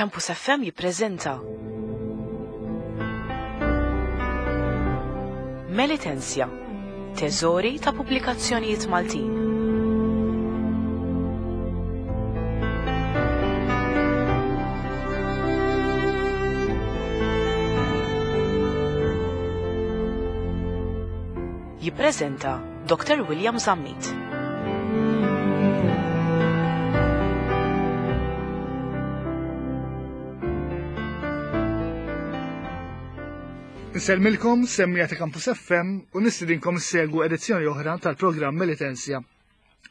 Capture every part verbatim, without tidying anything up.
Campus F M jippreżenta Melitensia, teżori ta' pubblikazzjonijiet Maltin. Jippreżenta Doctor William Zammit. Nsellmilkom semmija ta' Campus F M u nistidinkom issegwu edizzjoni oħra tal-programm Melitensia,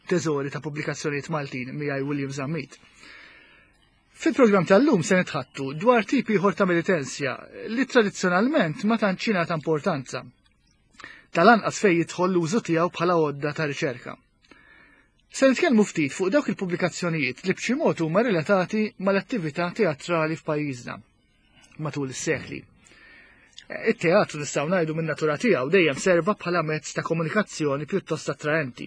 teżori ta' pubblikazzjonijiet Maltin miegħi William Zammit. Fil-programm tal-lum se nitħattu dwar tip ieħor ta' Melitensia li tradizzjonalment ma tantx jingħata importanza. Tal-anqas fejn jidħol l-użu tiegħu bħala għodda ta' riċerka. Se nitkellmu ftit fuq dawk il-pubblikazzjonijiet li b'xi mod huma relatati mal-attività teatrali f'pajjiżna matul is-sekli. It-teatru nistgħu ngħidu min-natura tiegħu dejjem serva bħala mezz ta' komunikazzjoni pjuttost attraenti.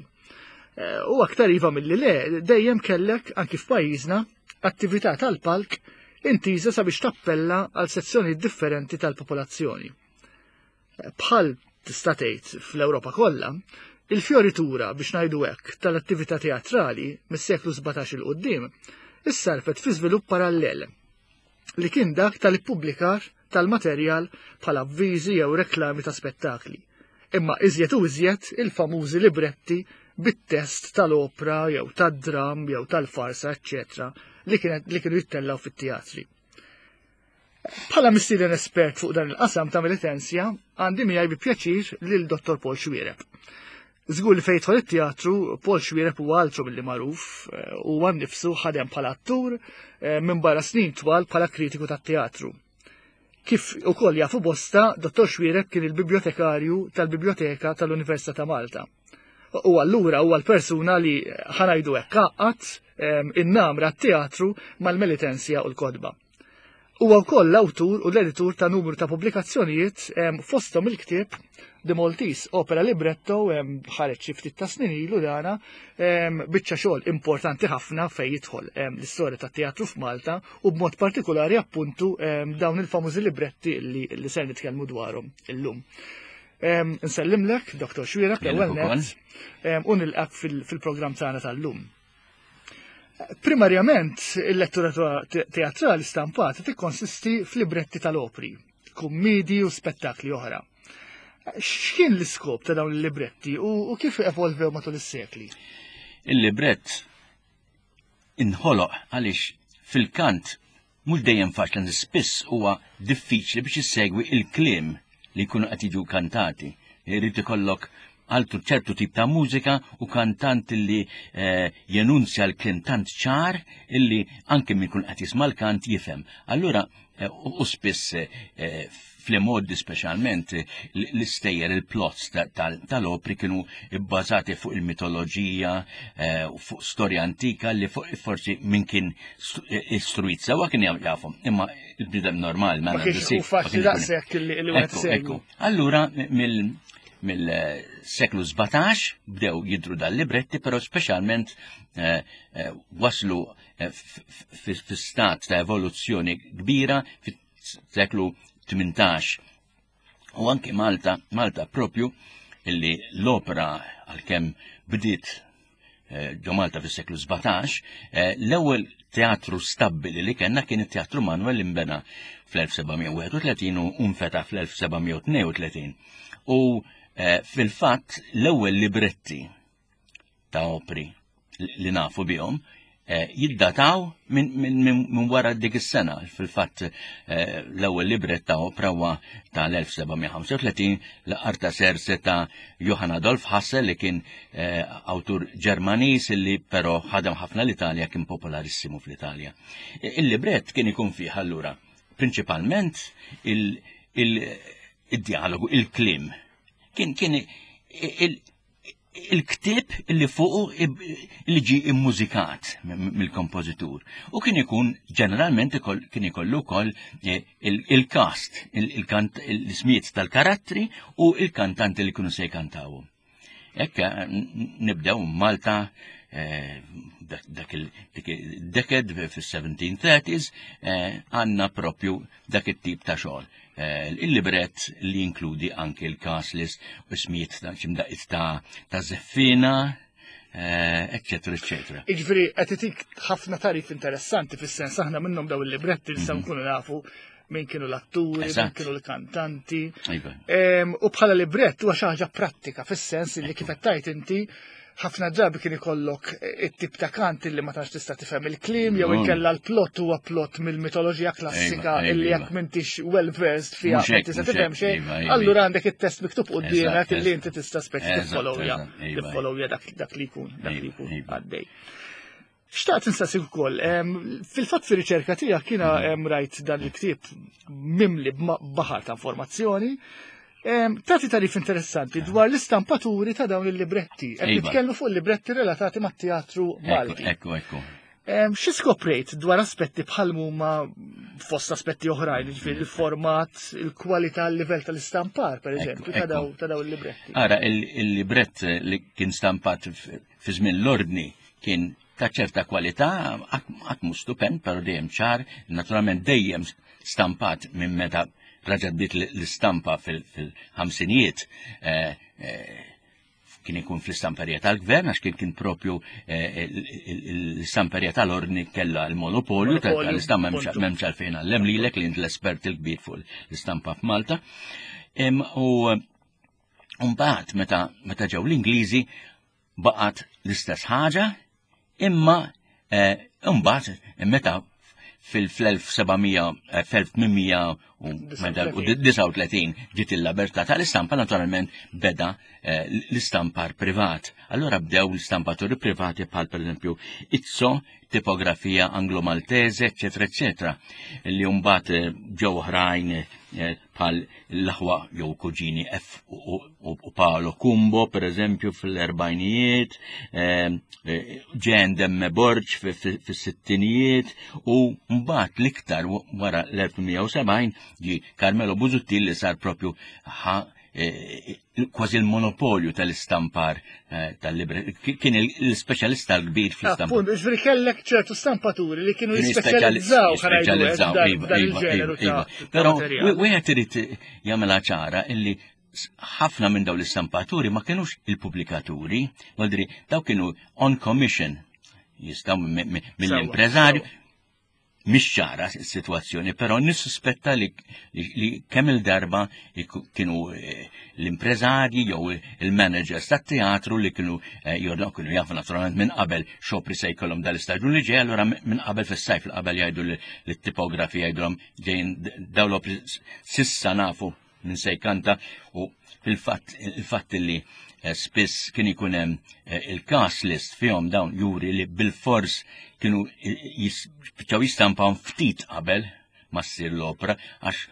Eh, u aktar iva milli le, dejjem kellek anki f'pajjiżna attività tal-palk intiża sabiex tappella għal sezzjoni differenti tal-popolazzjoni. Eh, bħal tista' tgħid fl-Ewropa kollha, il-fjoritura biex ngħidu hekk tal-attività teatrali mis-seklu sbatax il quddiem issarfet fi żvilupp parallel li kien dak tal-ippubblikar tal-materjal bħala avviżi jew reklami ta' spettakli. Imma iżjed u iżjed il-famużi libretti bit-test tal-opra jew tad-dram jew tal-farsa, eċċetera, li kienet, li kienu jittellaw fit-teatri. Bħala mistieden espert fuq dan il-qasam ta' Melitensia, għandi miegħi bi pjaċir lil Dottor Paul Xuereb. Żgur li fejn jidħol it-teatru, Paul Xuereb huwa altru milli magħruf, eh, huwa nnifsu ħadem bħala attur, eh, minn barra snin twal bħala kritiku tat-teatru. Kif ukoll jafu bosta, Dottor Xuereb kien il-bibliotekarju tal-Biblioteka tal-Università ta' Malta. U allura huwa l-persuna li ħanajdu hekk għaqqad, ehm, in-namra t-teatru mal-Melitensia u l-kotba. Huwa wkoll l-awtur u l-editur ta' numru ta' pubblikazzjonijiet, ehm, fosthom il-ktieb The Maltese Opera Libretto, ehm, ħareġ xi ftit ta' snin ilu dana, ehm, biċċa xogħol importanti ħafna fejn jidħol, ehm, l-istorja tat-teatru f'Malta u b'mod partikolari appuntu, ehm, dawn il-famużi libretti li, li ser nitkellmu dwarhom illum. Ehm, nsellimlek, Dottor Xuereb, Jien l-ewwel ukoll. nett, ehm, u nilqak fil-, fil-programm tagħna tal-lum. Primarjament, il-lettura te-, teatrali stampata tikkonsisti f'libretti tal-opri, kummidi u spettakli oħra. X'kien l-iskop ta' dawn il-libretti u, u kif evolvew matul is-sekli? Il-librett inħoloq għaliex fil-kant mhux dejjem faċli, spiss huwa diffiċli biex issegwi il-kliem li jkunu qed jiġu kantati. Irid ikollok għaltu ċertu tip ta' mużika u kantant li, eh, jenunzja l-kliem tant ċar illi anke min kun qed jisma' l-kant jifhem. Allura, eh, u, u spiss, eh, fl-modi speċjalment l-, l-istejjer, il-plots ta-, tal-, tal-opri kienu bbażati fuq il-mitoloġija, eh, u fuq storja antika li fuq, forsi min kien stu-, eh, istruit sewwa kien jaf-, jafhom, imma il-bniedem normal ma Ma kienx nagħmlu hu faċli ma kienx ikun daqshekk li, li wieħed Ekku, segwi. ekku. Allura mill-, mill-seklu sbatax bdew jidru dal-libretti, però speċjalment, eh, eh, waslu, eh, f-, f-, f-, fi stat ta' evoluzzjoni kbira fis-seklu tmintax. U anke Malta, Malta propju illi l-opera għalkemm bdiet, eh, ġo Malta fis-seklu sbatax, eh, l-ewwel teatru stabbili li kellna kien it-Teatru Manuel li nbena fl-elf seba' mija u wieħed u tletin u nfetaħ fl-elf seba' mija u tnejn u tletin. U, eh, fil-fatt l-ewwel libretti ta' opri li nafu bihom, eh, jiddataw minn, minn, minn, minn wara dik is-sena. Fil-fatt, eh, l-ewwel librett ta' opra huwa tal-elf seba' mija ħamsa u tletin l-Artaserse ta' Johann Adolf Hasse li kien, eh, awtur Ġermaniż li però ħadem ħafna l-Italja, kien popolarissimu fl-Italja. E, il-librett kien ikun fih allura prinċipalment il-, il-, il-dialogu, il-klim. Kien, kien il-, il-ktieb li fuqu ib-, li ġie immużikat m-, m-, mill-kompożitur. U kien ikun ġeneralment ikoll-, kien ikollu wkoll, eh, il-, il-cast, il-, il-kant-, l-ismijiet tal-karattri u il-kantanti li kienu se jkantawhom. Hekk, eh, n-, nibdew Malta, eh, dak il-decade fis-seventeen thirties eh, għandna propju dak it-tip ta' xogħol. Eh, il-librett li jinkludi anke il-cast list u ismijiet ta' ximdaqit ta' ta' żeffiena, eccetera, eccetera. Iġifieri, qed itik ħafna tarif interessanti, fis-sens aħna minnhom daw il-libretti nistgħu nkunu nafu min kienu l-atturi, min kienu l-kantanti. Iva. U bħala librett huwa xi ħaġa prattika, fis-sens li kif qed tgħid inti, ħafna drabi kien ikollok it-tip ta' kant li ma tantx tista' tifhem il-kliem jew inkella l-plot huwa plot mill-mitoloġija klassika illi jekk m'intix well versed fiha ma tista' tifhem xejn. Allura għandek it-test miktub quddiemek illi inti tista' speċi tiffollowja tiffollowja dak li jkun dak li jkun għaddej. Xtaqt nistaqsik ukoll, fil-fatt fir-riċerka tiegħek kiena rajt dan il-ktieb mimli baħar ta' informazzjoni. Tati tarif interessanti dwar l-istampaturi ta' dawn il-libretti. Qed Iva. nitkellmu fuq libretti relatati mat-teatru Malti. Ekku, ekku. Xi skoprejt dwar aspetti bħal huma, fost aspetti oħrajn, ġifieri il-format, il-kwalità, il-livell tal-istampar, per eżempju, ta' daw ta' daw il-libretti? Ara, il-librett li kien stampat fi żmien l-ordni kien ta' ċerta kwalità, qatt mhu stupend, però dejjem ċar, naturalment dejjem stampat minn meta reġgħet bdiet l-istampa fil-ħamsinijiet, eh, eh, kien ikun fl-istamperija tal-gvern, għax kien kien propju eh, l-istamperija tal-ordni kella l-monopolju tal-istampa, m'hemmx għalfejn ngħallem lilek li l-espert il-kbir fuq l-istampa f'Malta. U mbagħad meta meta ġew l-Ingliżi baqgħet l-istess ħaġa, imma mbagħad meta fil-elf seba' mija, fl-elf tmien mija u disgħa u tletin ġiet il-libertà tal-istampa, naturalment beda eh, l-istampar privat. Allora bdew l-istampaturi privati bħal, per eżempju, Izzo, Tipografia Anglo-Maltese, eccetera, eccetera. Li mbagħad eh, ġew oħrajn eh, bħal l-aħwa jew kuġini F u Paolo Cumbo, per eżempju, fil-erbajnijiet, Ġen Demme Borg fis-sittinijiet u mbagħad l-iktar wara l-elf tmien mija u sebgħin ġi Carmelo Busuttil li sar propju ħa eh, kważi l-monopolju tal-istampar eh, tal-libri. Kien l-speċjalista l-kbir fl-istampar. Appunt, ġifieri kellek ċertu stampaturi li kienu jispeċjalizzaw Jispeċjalizzaw, iva, dan iva, il-ġeneru iva, ta' iva. ta' Però materjal. wieħed irid jagħmilha ċara illi s- ħafna minn dawn l-istampaturi ma kienux il-pubblikaturi, vuol daw kienu on commission, jistaw mill-impreżarju, mhix ċara s-sitwazzjoni, però nissuspetta li, li, li kemm il-darba iku- kienu eh, l-impreżarji jew il-managers tat-teatru li kienu eh, jordnaw, kienu jafu naturalment minn qabel x'opri se jkollhom dal-istaġun li ġej, allura minn qabel fis-sajf li qabel jgħidu lit-tipografi, jgħidulhom ġejjin dawn l-opri, s'issa nafu min se jkanta. U fil-fatt il-fatt li eh, spiss kien ikun hemm eh, il-cast list fihom dawn juri li bil-fors kienu jispiċċaw jistampaw ftit qabel ma ssir l-opera, għax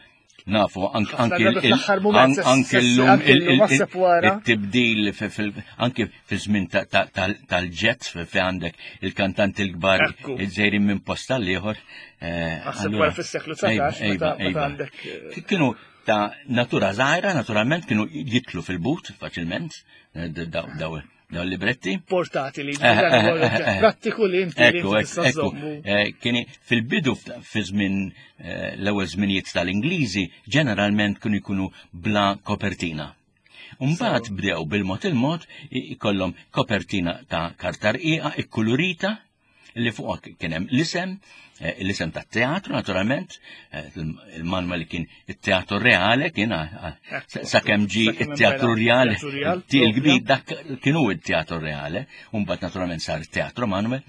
nafu anke Ħafna anke drabi il- fl-aħħar mument an- se- anke se- llum anke il- llum il- naħseb wara. it-tibdil fi- fil- anke fi żmien ta- ta- tal- tal-jet fi għandek il-kantanti l-kbar Ekku. iż-żejrin minn post tal-ieħor. eh, Naħseb allura- wara fis-seklu dsatax, Ejba, meta- meta ejba. għandek, eh, Kienu ta' natura żgħira, naturalment kienu jitlu fil-but faċilment, eh, daw daw daw libretti. Portatili, Eh, eh, eh, eh. prattiku li inti li Ekku, inti ekku, tista' ekku. żommu. Eh, Kieni fil-bidu fi żmien eh, l-ewwel żminijiet tal-Ingliżi ġeneralment kienu jkunu bla kopertina. Mbagħad bdew bil-mod il-mod i- ikollhom kopertina ta' karta rqiqa ikkulurita li fuqha kien hemm l-isem, eh, l-isem tat-teatru naturalment, eh, il-Manuel li kien it-Teatru Reale kien ah, ah, Ekku, sakemm ġi sakemm it-Teatru imbena Reale, Teatru Real, il-kbir propja. dak kienu it-Teatru Reale, u mbagħad naturalment sar it-Teatru Manuel,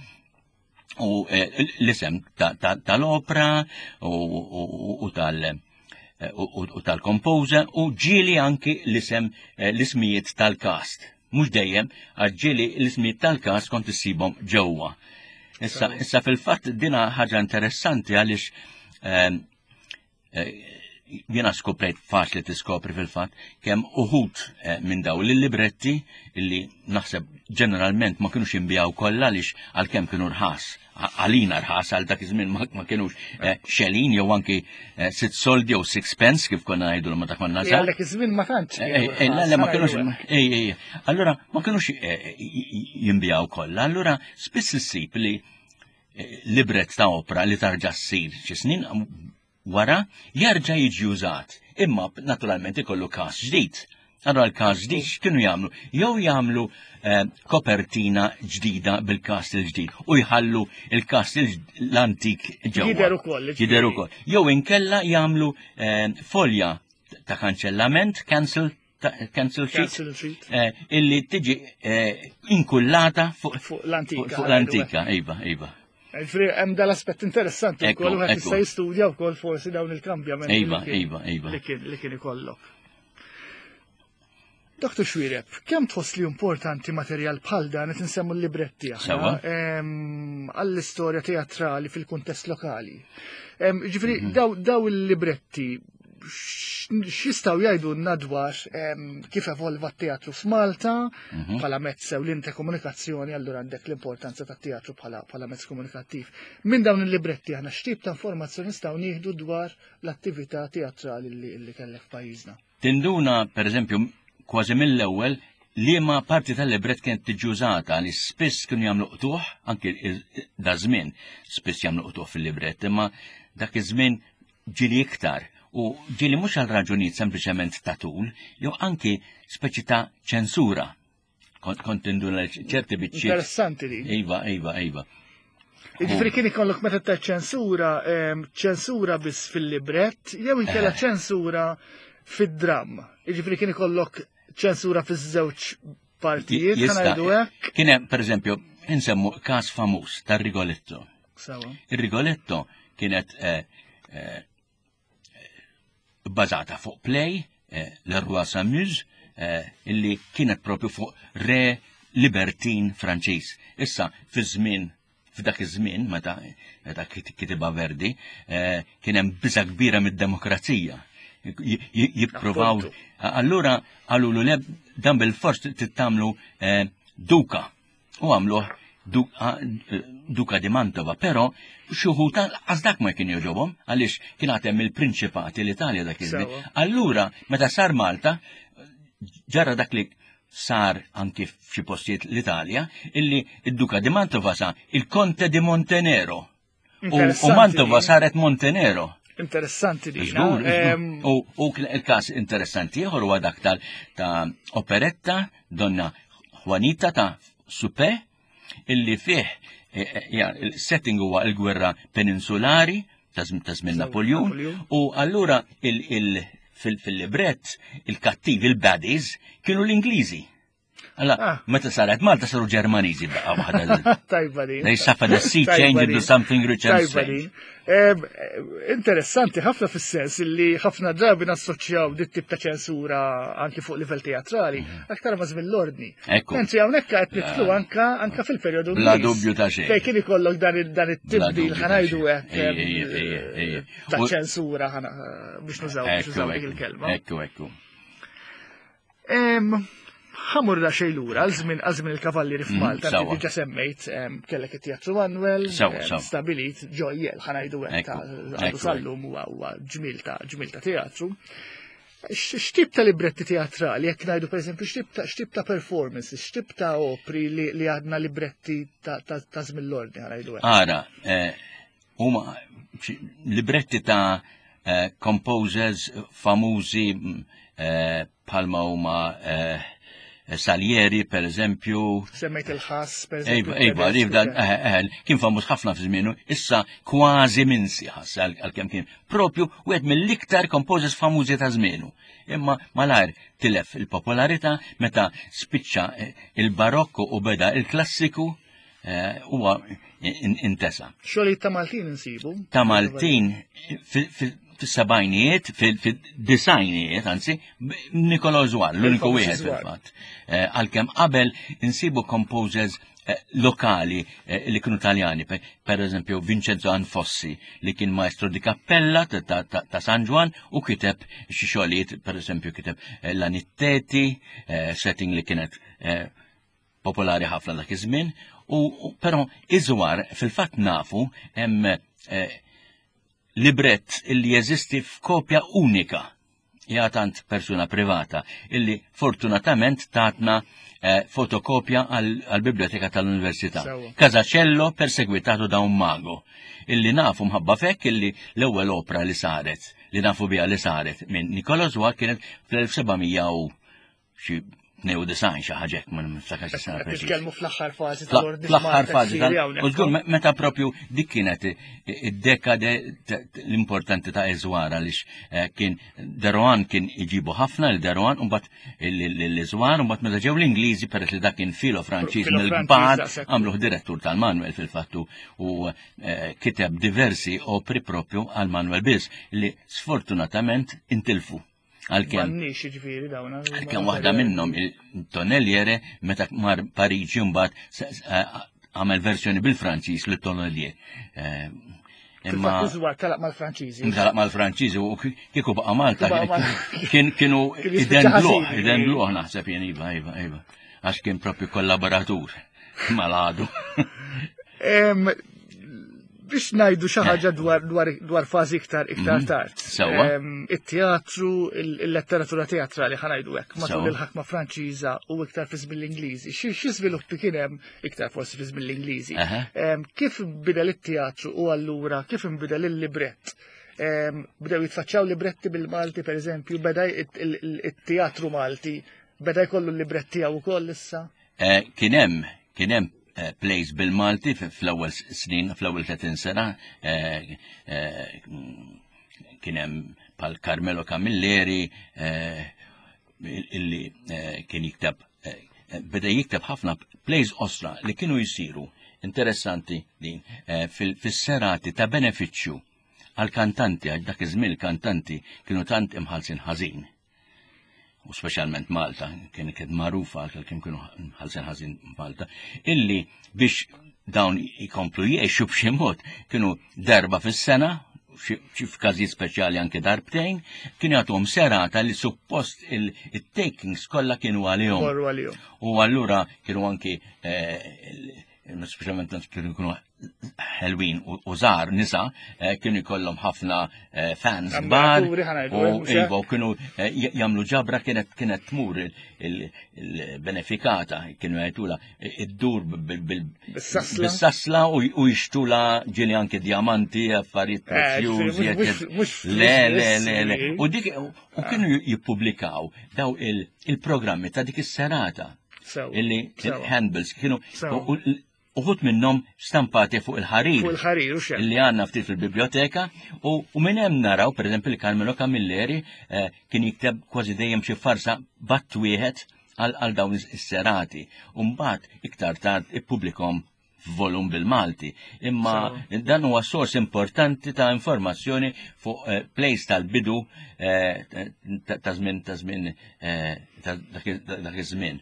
u eh, l-isem ta- ta- tal-opera u, u, u tal- eh, u, u- u tal-composer u ġieli anki l-isem eh, l-ismijiet tal-cast. Mhux dejjem, għax ġieli l-ismijiet tal-cast kont issibhom ġewwa. Issa, issa fil-fatt dina ħaġa interessanti għaliex ehm, eh, Jiena skoprejt, faċli tiskopri fil-fatt, kemm uħud eh, minn daw l-libretti illi naħseb ġeneralment ma kienux jinbiegħu kollha, għaliex għalkemm kienu rħas, għalina rħas, għal dak iż-żmien ma kienux eh, xelin jew anki eh, sitt soldi jew six pence kif konna ngħidu meta konna żgħar. Għal dak iż-żmien ma tantx. Le, ma kienux. Allura ma kienux jinbiegħu kollha, allura spiss issib li libret ta' opra li tarġa' ssir xi snin wara jerġa' jiġi użat. Imma naturalment ikollu cast ġdid. Allora l-cast ġdid x'kienu jagħmlu? Jew jagħmlu eh, kopertina ġdida bil-cast il-ġdid u jħallu il-cast l-antik ġewwa. Jidher ukoll. Jidher ukoll. Jew inkella jagħmlu eh, folja ta' kanċellament, cancel cancel sheet, eh, illi tiġi inkullata fuq l-antika. Fuq l-antika, iva, iva. Ġifieri, hemm dal-aspett interessanti wkoll, wieħed jista' jistudja wkoll forsi dawn il-kambjamenti. Iva, iva, iva. Li kien ikollok. Doktor Xuereb, kemm tħoss li importanti materjal bħal dan, qed insemmu l-libretti għall-istorja teatrali fil-kuntest lokali? Ġifieri, mhm. daw il-libretti x'jistgħu jgħidu dwar kif evolva t-teatru f'Malta mhm. bħala mezz ewlieni ta' komunikazzjoni, allura għandek l-importanza tat-teatru bħala mezz komunikattiv. Minn dawn il-libretti aħna x'tip ta' informazzjoni nistgħu nieħdu dwar l-attività teatrali li kellek f'pajjiżna? Tinduna, per eżempju, kważi mill-ewwel liema parti tal-libret kienet tiġi użata, li spiss kienu jagħmlu qtuħ, anki da żmien spiss jagħmlu qtuħ fil-libret, imma dak iż-żmien ġieli iktar u ġieli mhux għal raġunijiet sempliċement ta' tul, jew anki speċi ta' ċensura. Kont kont tinduna ċerti biċċiet. Interessanti li. Iva, iva, iva. Ġifieri kien ikollok meta ta' ċensura, ċensura biss fil-librett, jew inkella eh. ċensura fid-dram. Ġifieri kien ikollok ċensura fiż-żewġ partijiet, ngħidu hekk. Kien hemm, pereżempju, insemmu każ famuż tar-Rigoletto. Ir-Rigoletto kienet eh, eh, bbażata fuq play, Le Roi s'amuse, illi kienet propju fuq re libertin Franċiż. Issa, fi żmien f'dak iż-żmien meta meta kitibha Verdi, eh, kien hemm biża kbira mid-demokrazija. Jippruvaw. Allura qalulu le, dan bil-fors tittamlu eh, duka. U għamluh duka di Mantova, però xi wħud dak ma kien jogħġobhom għaliex kien għad hemm il-prinċipati l-Italja dak iż-żmien. Allura meta sar Malta ġara dak li sar anki f'xi postijiet l-Italja, illi id-Duka di Mantova sar il-Conte di Montenero. U Mantova saret Montenero. Interessanti di. U il-kas interessanti ieħor huwa dak ta' operetta Donna Juanita ta' Suppé, illi fih e, e, il-setting huwa il-gwerra peninsulari ta' żmien Napoleon, u allura il- fil-librett il-kattiv, il-baddies, kienu l-Ingliżi. Alla, ah. meta saret Malta saru Ġermaniżi baqgħa waħda. Tajba li. They suffered a sea change into something rich and strange. Interessanti ħafna fis-sens li ħafna drabi nassoċjaw dit tip ta' ċensura anki fuq livell teatrali mhm. aktar ma' żmien l-ordni. Mentri hawnhekk qed nidħlu anka anka fil-perjodu. Bla dubju ta' xejn. Fejn kien ikollok dan it-tibdil, ħa ngħidu hekk, ta' ċensura, biex nużaw biex nużaw dik il-kelma. Ekku, ekku. Ħa mmur xejn lura, għal żmien il-Kavallieri mm, f'Malta, diġa semmejt, kellek it-Teatru Manuel, stabilit ġojjel, ħa ngħidu hekk, għadu sal-lum huwa ġmil ta' ġmil ta' teatru. X'tip ta' libretti teatrali, jekk ngħidu pereżempju x'tip ta' performances, x'tip ta' opri li għadna libretti ta' żmien l-ordni, ħa ngħidu hekk? Ara, eh, huma libretti ta' eh, composers famużi eh, bħalma huma Salieri, per eżempju. Semmejt il-Ħass, per eżempju. Iva, iva, kien famuż ħafna fi żmienu, issa kważi minsi Ħass, għalkemm kien propju wieħed mill-iktar composers famużi ta' żmienu. Imma malajr tilef il-popolarità meta spiċċa il-barokku u beda il-klassiku, eh, huwa intesa. Xogħlijiet ta' Maltin insibu? Ta' Maltin fis-sebgħinijiet, fil-disgħinijiet, anzi, Nicolò Zuan, l-uniku wieħed fil-fatt. Eh, għalkemm qabel insibu composers eh, lokali eh, li kienu Taljani, per, per eżempju Vincenzo Anfossi li kien maestro di cappella ta', ta, ta, ta San Ġwann u kiteb xi xogħlijiet, per eżempju kiteb eh, La Nitteti, eh, setting li kienet eh, popolari ħafna dak iż-żmien, u, u però Iżwar fil-fatt nafu hemm eh, librett illi jeżisti f'kopja unika jgħatant persuna privata illi fortunatament tatna eh, fotokopja għal-Biblioteka tal-Università. Sewwa. Casacello perseguitato da un mago, illi nafu mħabba fek illi l-ewwel opra li saret, li nafu biha li saret minn Nicola Zwar kienet fl-elf seba' mija u xi tnejn u disgħin, xi ħaġa hekk, ma niftakarx is-sena Qed preċiż. nitkellmu fl-aħħar fażi tal-ordni Fl-aħħar fażi tal hawnhekk. U żgur me- meta propju dik kienet id-dekade t- t- l-importanti ta' Iżwar, għaliex eh, kien De Rohan kien iġibu ħafna il-De Rohan u mbagħad l-Iżwar, u mbagħad meta ġew l-Ingliżi, peress li dak kien filo Franċiż Filo mill-kbar, Franċiż, daqshekk. għamluh direttur tal-Manuel fil-fattu u eh, kiteb diversi opri propju għal Manuel biss li sfortunatament intilfu. Għalkemm M'għandniex jiġifieri dawn. Għalkemm waħda minnhom, il-Tonneliere, meta mar Pariġi mbagħad s- s- għamel versjoni bil-Franċiż li Tonnelier. Eh, Imma Fil-fatt Iżwar telaq mal-Franċiżi. Telaq mal-Franċiżi u kieku baqa' Malta Kieku baqa' Malta. kien kienu Kien jispiċċa idendluh, ħażin. idendluh naħseb jien, iva, iva, iva. Għax kien propju kollaboratur mal-għadu. Em, Biex ngħidu xi ħaġa dwar dwar dwar fażi iktar iktar Mhm. tard. Sewwa. Em, It-teatru, il- il-letteratura teatrali, ħa ngħidu hekk, matul Sewwa. il-ħakma Franċiża u iktar fi żmien l-Ingliżi. Xi xi żviluppi kien hemm iktar forsi fi żmien l-Ingliżi? Aha. Em, Kif inbidel it-teatru u allura kif inbidel il-librett? Em, Bdew jitfaċċaw libretti bil-Malti, per eżempju, beda it- il- il- it-teatru Malti, beda jkollu l-librett tiegħu wkoll issa? Eh, Kien hemm kien hemm eh, plays bil-Malti f- fl-ewwel snin, fl-ewwel tletin sena, eh, eh, kien hemm pal Carmelo Camilleri eh, illi eh, kien jikteb eh, beda jikteb ħafna plays osra li kienu jisiru, interessanti din, eh, fil- fis-serati ta' benefiċċju għal kantanti, għal dak iż-żmien il-kantanti kienu tant imħalsin ħażin u speċjalment Malta, kien kien magħrufa għal kien kienu ħalsin ħażin Malta, illi biex dawn ikomplu jgħixu b'xi mod kienu darba fis-sena, xi xi f'każijiet speċjali anke darbtejn, kienu jagħtuhom serata li suppost il-takings kollha kienu għalihom. Morru għalihom. U allura kienu anki eh, speċjalment kienu jkunu ħelwin u u żgħar nisa, eh, kienu jkollhom ħafna eh, fans kbar Ammiraturi, ħa ngħidu, u eh, mhux hekk? iva, u kienu eh, j- jagħmlu ġabra, kienet kienet tmur il- il- il-benefikata, kienu jgħidula id-dur bil- bil- Bis-sasla. bis-sasla u u jixtula ġieli anke diamanti, affarijiet Eh, prezzjużi. ġifieri, mhux- eccetera. mhux Le, flus le, biss, le, le. ġifieri. U dik u kienu jippubblikaw daw il- il-programmi ta' dik is-serata Sew. illi Sew. handbills kienu Sew. u- u- uħud minnhom stampati fuq il-ħarir Fuq il-ħarir u xejn. illi għandna ftit fil-biblioteka u, u minn hemm naraw, per eżempju, li Carmelo Camilleri eh, kien jikteb kważi dejjem xi farsa b'att wieħed għal għal dawn is-serati. U mbagħad iktar tard ippubblikhom f'volum bil-Malti. Imma dan huwa sors importanti ta' informazzjoni fuq eh, plays tal-bidu eh, ta' ta' żmien ta' żmien eh, ta' dak dak iż-żmien.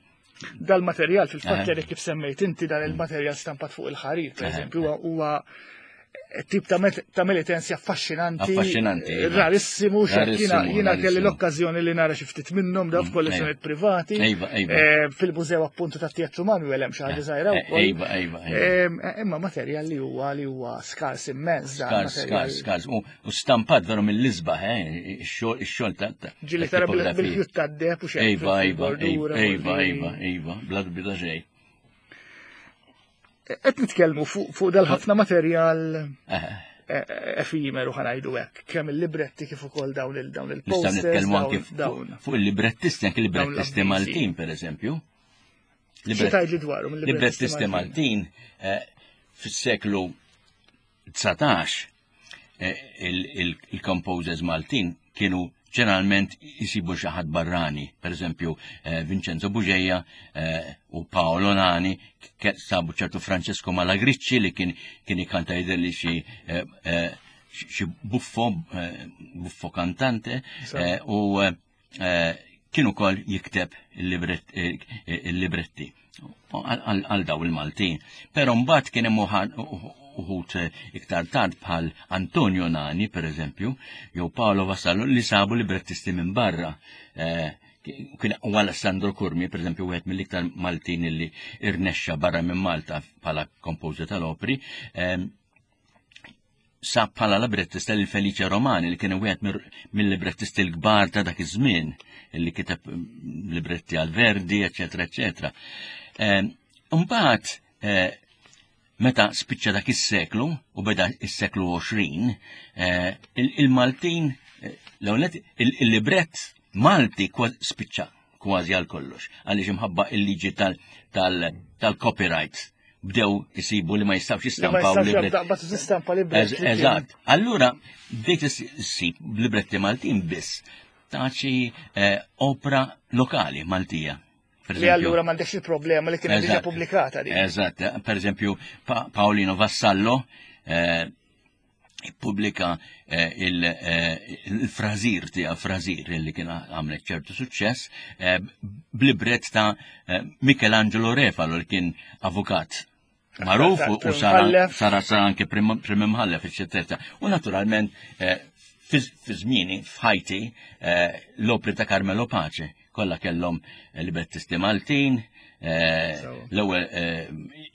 Dal-materjal fil-fatt Aha. li kif semmejt inti, dan il-materjal stampat fuq il-ħarir, per Aha. eżempju, huwa- huwa tip ta' met- ta' militenzja affaxxinanti, Affaxxinanti, iva. rarissimu, xek jiena Rarissimu, jiena kelli rarissimu. l-okkażjoni li nara xi ftit minnhom da f'kollezzjonijiet privati. Iva, iva. Eh, Fil-mużew appuntu ta' Teatru Manuel hemm xi ħaġa żgħira Eh, wkoll. Iva, iva, iva. Em, Imma materjal li huwa li huwa skars immens dan Skars, materjal. skars, skars. U u stampat veru mill-isbaħ, eh, ix-xogħol ix-xogħol ta' ta' Ġieli ta' tara bil- tipografija. bil-ħjut tad-deheb u xejn. Iva, iva, fil-bordura, iva, fuq iva, iva, bla dubju ta' xejn. Qed nitkellmu fuq fuq dal-ħafna materjal Eh, eh, efimeru, ħa ngħidu hekk, kemm il-libretti kif ukoll dawn il dawn Nistgħu il-posters, nitkellmu anke dawn dawn. fuq fuq il-librettisti, anke librettisti l-avviżi. Maltin, per eżempju. Xi tgħidli dwarhom Librettisti Maltin eh, fis-seklu dsatax eh, il- il- il-composers Maltin kienu ġeneralment jisibu xi ħadd barrani, per eżempju eh, Vincenzo Bugeja eh, u Paolo Nani, ke- sabu ċertu Francesco Malagricci li kien kien ikanta jidher li xi eh, eh, xi buffo, eh, buffo cantante Sa. eh, u eh, kien ukoll jikteb il-libretti għal daw il-Maltin. Però mbagħad kien hemm uħut iktar tard bħal Antonio Nani, per eżempju, jew Paolo Vassallo li sabu librettisti minn barra. Kien u Alessandro Curmi, per eżempju, wieħed mill-iktar Maltin li irnexxa barra minn Malta bħala kompożer tal-opri, sab bħala librettista lil Felice Romani li kien wieħed mill-librettisti l-kbar ta' dak iż-żmien li kiteb libretti għal Verdi, eċetera, eċetera. Mbagħad meta spiċċa dak is-seklu u beda is-seklu għoxrin, il-Maltin l-ewwel il-librett Malti spiċċa kważi għal kollox, għaliex imħabba il-liġi tal-copyright bdew isibu li ma jistawx jistampaw libretti. Eżatt. Allura bdejt issib libretti Maltin biss ta' xi opra lokali Maltija. Li allura m'għandekx il-problema li kienet diġà pubblikata di. Eżatt. Per eżempju, Paolino Vassallo ippubblika il-frażir tiegħu, frażir li kien għamlet ċertu suċċess, b'librett ta' Michelangelo Refalo li kien avukat magħruf u sara sara anke prim imħallef, eċċetera. U naturalment fi żmieni f'ħajti l-opri ta' Carmelo Pace kollha kellhom librettisti Maltin, l-ewwel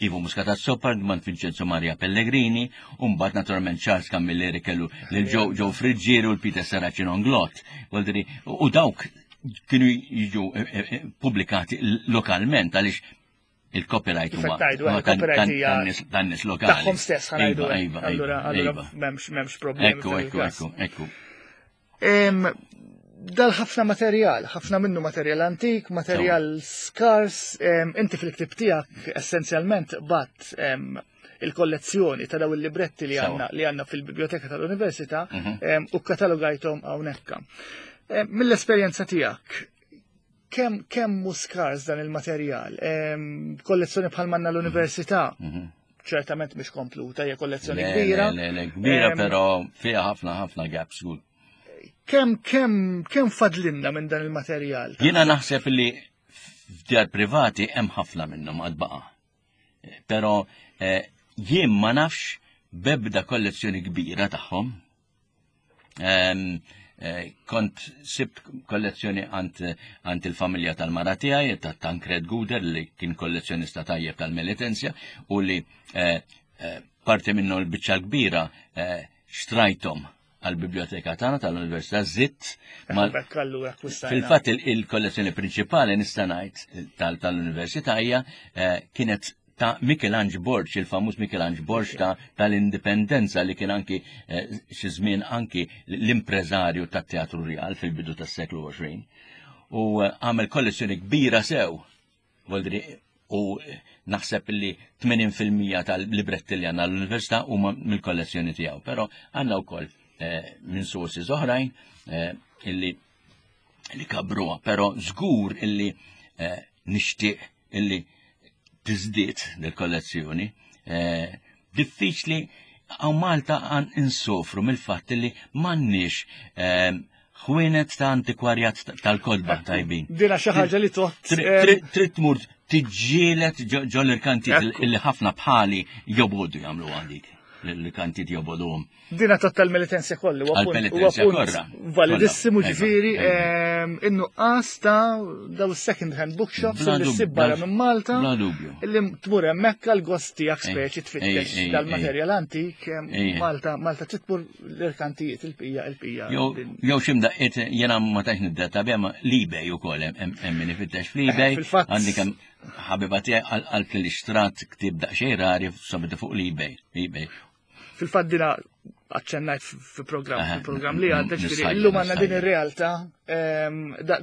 Ivo Muscat Azzopardi, man Vincenzo Maria Pellegrini, u mbagħad naturalment Charles Camilleri kellu lil Joe Friggieri u l-Peter Serracino Inglott. U dawk kienu jiġu pubblikati lokalment għaliex il-copyright huwa tan-nies lokali. Tagħhom stess ħanajdu. Allura m'hemmx m'hemmx problemi. Ekku, ekku, ekku, ekku. Dal ħafna materjal, ħafna minnu materjal antik, materjal skars, inti fil-ktib tiegħek essenzjalment bat il-kollezzjoni ta' daw il-libretti li għandna li għandna fil-biblioteka tal-Università u katalogajthom hawnhekk. Mill-esperjenza tiegħek, kemm kemm hu skars dan il-materjal? Kollezzjoni bħal manna l-Università, ċertament mhix kompluta, hija kollezzjoni kbira. Le, le, kbira, però fiha ħafna ħafna gaps. Kemm kemm kemm fadlinna minn dan il-materjal? Jiena naħseb li f'djar privati hemm ħafna minnhom għad baqa'. Però jien ma nafx bebda kollezzjoni kbira tagħhom. Kont sibt kollezzjoni għand il-familja tal-mara tiegħi, ta' Tancred Guder, li kien kollezzjonista tajjeb tal-Melitensja u li parti minnu l-biċċa kbira xtrajthom għal-biblioteka tagħna tal-Università żitt. Fil-fatt il-kollezzjoni prinċipali nista' ngħid tal-Università hija kienet ta' Michelangelo Borg, il-famuż Michelangelo Borg tal-Indipendenza li kien anki xi żmien anki l-impreżarju tat-Teatru Real fil-bidu tas-seklu għoxrin. U għamel kollezzjoni kbira sew. U naħseb li tmenin fil-mija tal-libretti li għandna l-Università huma mill-kollezzjoni tiegħu, però għandna wkoll minn sources oħrajn illi li kabruha, però żgur illi nixtieq illi tiżdied dil-kollezzjoni. Diffiċli hawn Malta għan insofru mill-fatt illi m'għandniex ħwienet ta' antikwarjat tal-kotba tajbin. Dina xi ħaġa li toħt. Trid tmur tiġġieled ġol irkantijiet illi ħafna bħali jobodu jagħmlu għandik. L-kantijiet joboduhom. Dina tot tal-Melitensja kollu, huwa punt validissimu ġifieri in-nuqqas ta' daw second hand bookshops li ssib barra minn Malta. Illi tmur hemmhekk għall-gost tiegħek speċi tfittex dal-materjal antik. Malta Malta trid tmur l-irkantijiet il-bqija il-bqija. Jew xi mdaqqiet jiena ma tantx niddetta biha ma l-eBay ukoll hemm min ifittex fl-eBay. Għandi kemm ħabiba tiegħi qalt li xtrat ktieb daqsxejn rari sabitu fuq l-eBay. eBay. Fil-fatt dina aċċennajt fil-programm, fil-programm li għadda, ġifieri illum għandna din ir-realtà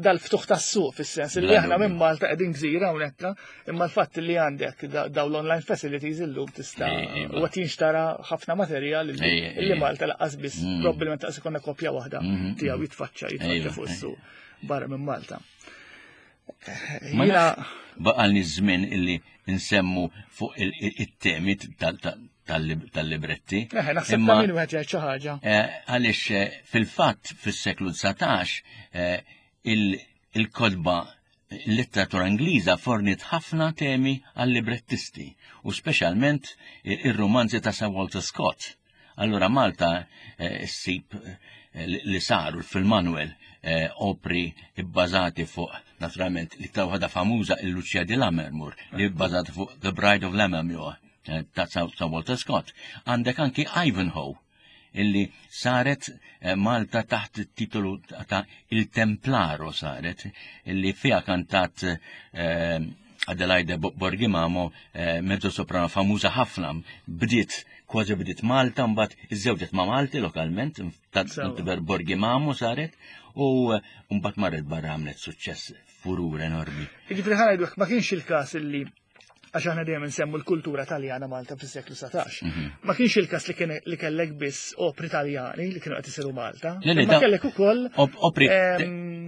dal-ftuħ tas-suq fis-sens li aħna minn Malta qegħdin gżira hawnhekk, imma l-fatt li għandek daw l-online facilities illum tista' u qed jinxtara ħafna materjal li Malta laqqas biss probabbilment laqas ikollna kopja waħda tiegħu jitfaċċa jitfaċċa fuq is-suq barra minn Malta. Jiena baqalni żmien illi nsemmu fuq it-temi tal-libretti. Naħseb ta' min wieħed jgħid xi ħaġa. Għaliex fil-fatt fis-seklu dsatax il-kotba il-letteratura Ingliża fornit ħafna temi għal-librettisti u speċjalment ir-romanzi ta' Sir Walter Scott. Allura Malta eh, ssib eh, li saru fil-Manuel eh, opri bbażati fuq naturalment l-iktar waħda famuża il-Lucia di Lammermoor li bbażata fuq The Bride of Lammermoor ta' Sir Walter Scott. Għandek anki Ivanhoe illi saret eh, Malta taħt it-titolu ta' Il Templaro saret, illi fija kantat eh, Adelaide Borghi Mamo, eh, mezzo soprano famuża ħafna, bdiet kważi bdiet Malta, mbagħad iżżewġet ma' Malti lokalment, ta' Borghi Mamo saret, u mbagħad marret barra għamlet suċċess furur enormi. Jiġifieri ħa ngħidu ma kienx il-każ illi għax aħna dejjem nsemmu l-kultura taljana Malta fis-seklu satax. Mhm. Ma kienx il-każ li kien li kellek biss opri taljani li kienu qed isiru Malta. Ma kellek ukoll opri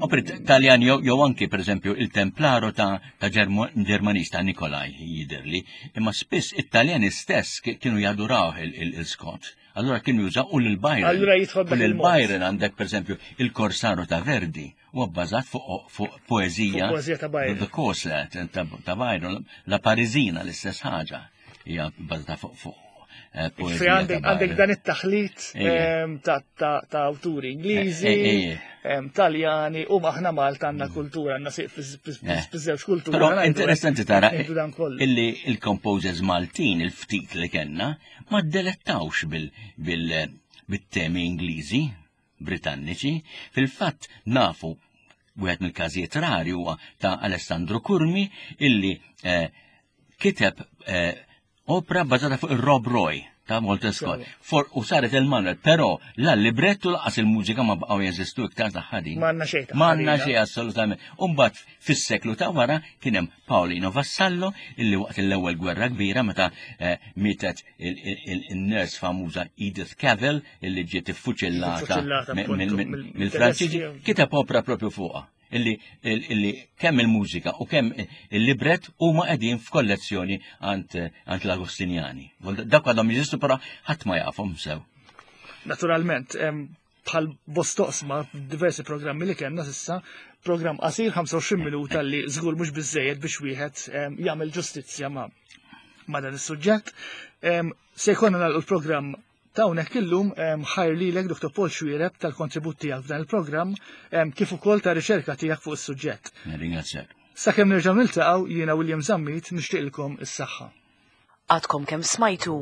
opri taljani jew anki pereżempju il-Templaro ta' ta' Ġermanista Nikolaj jidirli, imma spiss it-Taljani stess kienu jaduraw il-Scott. Allura kienu jużaw u l-Byron. Allura jidħol U l-Byron għandek pereżempju il-Corsaro ta' Verdi u bbażat fuq poezija. Poezija ta' Byron. The Corsair ta' Byron, la Parisina l-istess ħaġa. Hija bbażata fuq eh, poezija. Għandek dan it-taħlit ehm, ta' awturi Ingliżi, eh, eh, ehm, Taljani, u aħna Malta għandna mm. kultura, għandna fiż-żewġ kultura. Però interessanti tara illi il-composers Maltin, il-ftit li kellna, ma ddelettawx bil-temi Ingliżi, Britanniċi. Fil-fatt nafu wieħed mill-każijiet rari huwa ta' Alessandro Curmi illi eh, kiteb eh, opera bbażata fuq ir-Rob Roy ta' Walter Scott. For, u saret il-Manuel, però la librettu lanqas il-mużika ma baqgħu jeżistu iktar ta' ħadin. M'għandna xejn. M'għandna xejn assolutament. Umbagħad fis-seklu ta' wara kien hemm Paolino Vassallo illi waqt l-ewwel gwerra kbira meta eh, mietet il-nurse famuża Edith Cavell illi ġiet iffuċillata mill-Franċiżi, kiteb opera propju fuqha illi, illi kemm il-mużika u kemm il-libret huma qegħdin f'kollezzjoni għand l-Agostinjani. Dak għadhom jeżistu però ħadd ma jafhom sew. Naturalment, bħal bosta oqsma diversi programmi li kellna s'issa, programm qasir ħamsa u għoxrin minuta li żgur mhux biżejjed biex wieħed jagħmel ġustizzja ma' ma' dan is-suġġett. Se jkollna nagħlqu l-programm ta' hawnhekk illum. Ħajr lilek, Doktor Paul Xuereb, tal-kontribut tiegħek f'dan il-programm kif ukoll ta' riċerka tiegħek fuq is-suġġett. Ringrazzjak. Sakemm nerġgħu niltaqgħu, jiena William Zammit nixtieqilkom is-saħħa. Għadkom kemm smajtu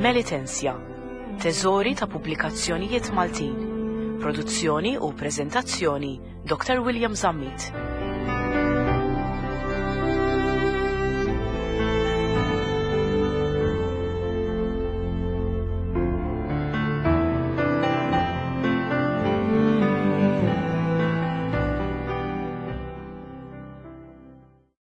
Melitensja, teżori ta' pubblikazzjonijiet Maltin. Produzzjoni u prezentazzjoni Doktor William Zammit.